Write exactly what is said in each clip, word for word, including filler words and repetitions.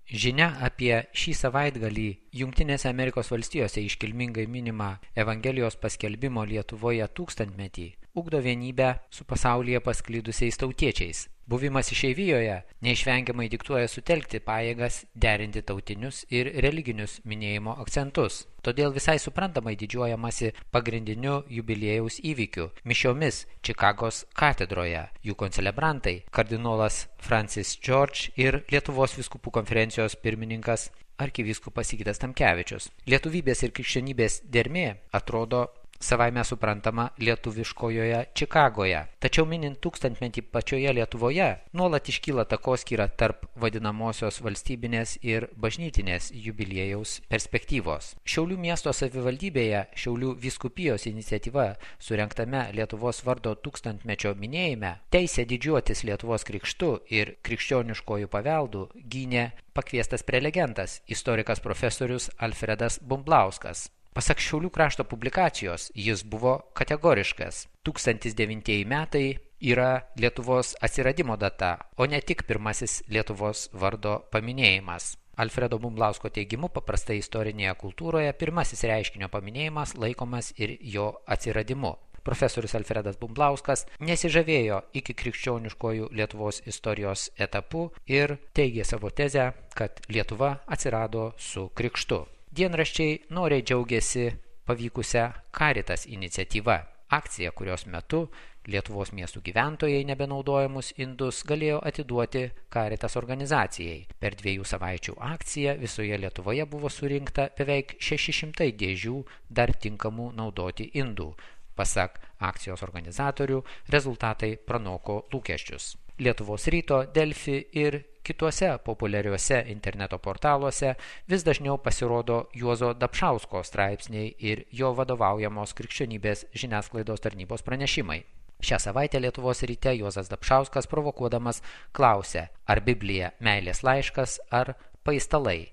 Žinia apie šį savaitgalį Jungtinėse Amerikos valstijose iškilmingai minimą Evangelijos paskelbimo Lietuvoje tūkstantmetį ugdo vienybę su pasaulyje pasklidusiais tautiečiais. Buvimas išeivijoje neišvengiamai diktuoja sutelkti pajėgas, derinti tautinius ir religinius minėjimo akcentus. Todėl visai suprantamai didžiuojamasi pagrindiniu jubiliejaus įvykiu – mišiomis Čikagos katedroje. Jų koncelebrantai – kardinolas Francis George ir Lietuvos vyskupų konferencijos pirmininkas arkivyskupas Sigitas Tamkevičius. Lietuvybės ir krikščionybės dermė atrodo savaime suprantama lietuviškojoje Čikagoje. Tačiau minint tūkstantmetį pačioje Lietuvoje, nuolat iškyla takoskyra tarp vadinamosios valstybinės ir bažnytinės jubiliejaus perspektyvos. Šiaulių miesto savivaldybėje Šiaulių vyskupijos iniciatyva surengtame Lietuvos vardo tūkstantmečio minėjime teisę didžiuotis Lietuvos krikštu ir krikščioniškojų paveldų gynė pakviestas prelegentas, istorikas profesorius Alfredas Bumblauskas. Pasak Šiaulių krašto publikacijos, jis buvo kategoriškas. tūkstantis devintieji metai yra Lietuvos atsiradimo data, o ne tik pirmasis Lietuvos vardo paminėjimas. Alfredo Bumblausko teigimu, paprastai istorinėje kultūroje pirmasis reiškinio paminėjimas laikomas ir jo atsiradimu. Profesorius Alfredas Bumblauskas nesižavėjo iki krikščioniškojų Lietuvos istorijos etapu ir teigė savo tezę, kad Lietuva atsirado su krikštu. Dienraščiai noriai džiaugiasi pavykusią Caritas iniciatyva. Akcija, kurios metu Lietuvos miestų gyventojai nebenaudojamus indus galėjo atiduoti Caritas organizacijai. Per dviejų savaičių akciją visoje Lietuvoje buvo surinkta beveik šeši šimtai dėžių dar tinkamų naudoti indų. Pasak akcijos organizatorių, rezultatai pranoko lūkesčius. Lietuvos ryto, Delfi ir kituose populiariuose interneto portaluose vis dažniau pasirodo Juozo Dapšausko straipsniai ir jo vadovaujamos krikščionybės žiniasklaidos tarnybos pranešimai. Šią savaitę Lietuvos ryte Juozas Dapšauskas provokuodamas klausė, ar Biblija meilės laiškas ar paistalai.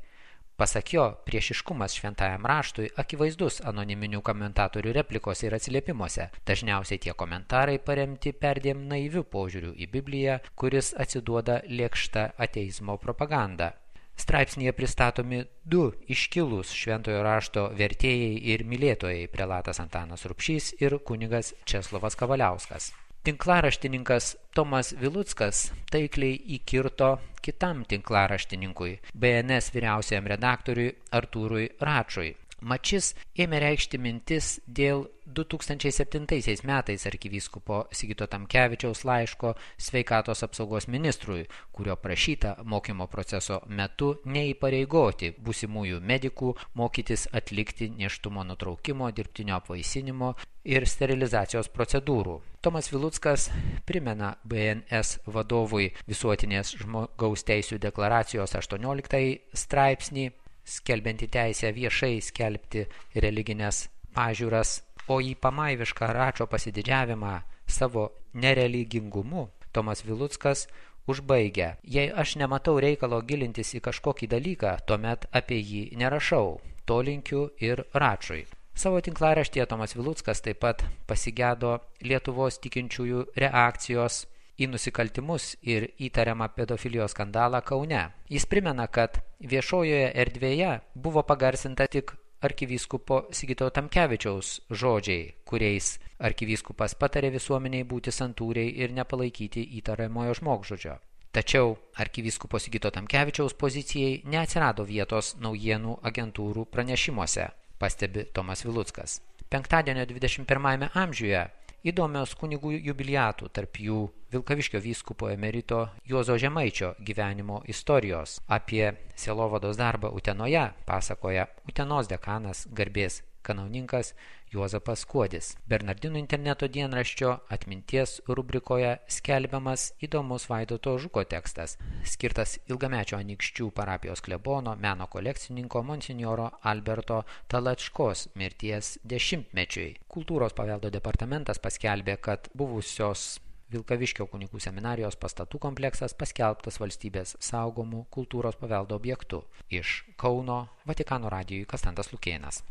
Pasak jo, priešiškumas šventajam raštui akivaizdus anoniminių komentatorių replikose ir atsiliepimuose. Dažniausiai tie komentarai paremti perdėm naiviu požiūriu į Bibliją, kuris atsiduoda lėkšta ateizmo propaganda. Straipsnyje pristatomi du iškilūs šventojo rašto vertėjai ir mylėtojai – prelatas Antanas Rupšys ir kunigas Česlovas Kavaliauskas. Tinklaraštininkas Tomas Viluckas taikliai įkirto kitam tinklaraštininkui, B N S vyriausiajam redaktoriui Artūrui Račui. Mat šis ėmė reikšti mintis dėl du tūkstančiai septintaisiais metais arkivyskupo Sigito Tamkevičiaus laiško sveikatos apsaugos ministrui, kurio prašyta mokymo proceso metu neįpareigoti būsimųjų medikų mokytis atlikti nėštumo nutraukimo, dirbtinio apvaisinimo ir sterilizacijos procedūrų. Tomas Viluckas primena B N S vadovui Visuotinės žmogaus teisių deklaracijos aštuonioliktąjį straipsnį, skelbianti teisę viešai skelbti religinės pažiūras, o į pamaivišką Račo pasididžiavimą savo nereligingumu Tomas Viluckas užbaigia: jei aš nematau reikalo gilintis į kažkokį dalyką, tuomet apie jį nerašau. To linkiu ir Račui. Savo tinklaraštyje Tomas Viluckas taip pat pasigedo Lietuvos tikinčiųjų reakcijos į nusikaltimus ir įtariamą pedofilijos skandalą Kaune. Jis primena, kad viešojoje erdvėje buvo pagarsinta tik arkivyskupo Sigito Tamkevičiaus žodžiai, kuriais arkivyskupas patarė visuomeniai būti santūriai ir nepalaikyti įtariamojo žmogžudžio. Tačiau arkivyskupo Sigito Tamkevičiaus pozicijai neatsirado vietos naujienų agentūrų pranešimuose, pastebi Tomas Viluckas. Penktadienio dvidešimt pirmajame amžiuje įdomios kunigų jubiliatų, tarp jų Vilkaviškio vyskupo emerito Juozo Žemaičio gyvenimo istorijos. Apie sielovados darbą Utenoje pasakoja Utenos dekanas garbės kanauninkas Juozapas Kuodis. Bernardinų interneto dienraščio atminties rubrikoje skelbiamas įdomus Vaidoto Žuko tekstas, skirtas ilgamečio Anykščių parapijos klebono, meno kolekcininko monsinjoro Alberto Talačkos mirties dešimtmečiui. Kultūros paveldo departamentas paskelbė, kad buvusios Vilkaviškio kunigų seminarijos pastatų kompleksas paskelbtas valstybės saugomų kultūros paveldo objektu. Iš Kauno Vatikano radijui Konstantas Lukėnas.